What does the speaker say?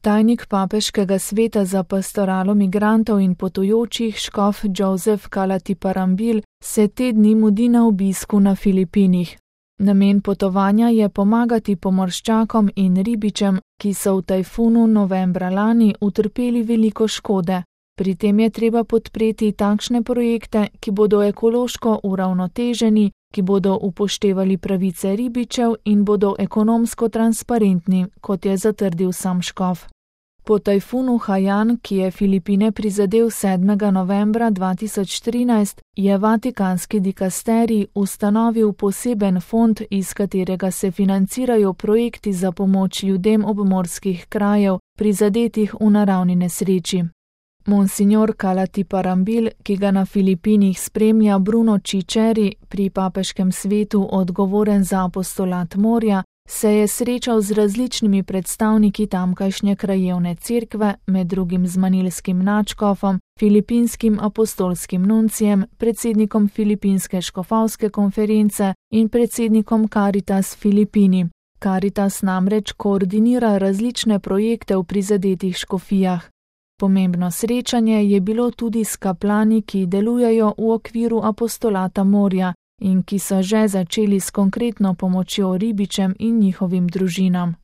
Tajnik papeškega sveta za pastoralo migrantov in potujočih škof Joseph Kalatiparambil se te dni mudi na obisku na Filipinih. Namen potovanja je pomagati pomorščakom in ribičem, ki so v tajfunu novembra lani utrpeli veliko škode. Pri tem je treba podpreti takšne projekte, ki bodo ekološko uravnoteženi, ki bodo upoštevali pravice ribičev in bodo ekonomsko transparentni, kot je zatrdil sam škof. Po tajfunu Haiyan, ki je Filipine prizadel 7. novembra 2013, je vatikanski dikasterij ustanovil poseben fond, iz katerega se financirajo projekti za pomoč ljudem obmorskih krajev, prizadetih v naravni nesreči. Monsignor Kalatiparambil, ki ga na Filipinih spremlja Bruno Ciceri, pri papeškem svetu odgovoren za apostolat morja, se je srečal z različnimi predstavniki tamkajšnje krajevne cerkve, med drugim z manilskim nadškofom, filipinskim apostolskim nuncijem, predsednikom Filipinske škofovske konference in predsednikom Caritas Filipini. Caritas namreč koordinira različne projekte v prizadetih škofijah. Pomembno srečanje je bilo tudi s kaplani, ki delujejo v okviru apostolata morja in ki so že začeli s konkretno pomočjo ribičem in njihovim družinam.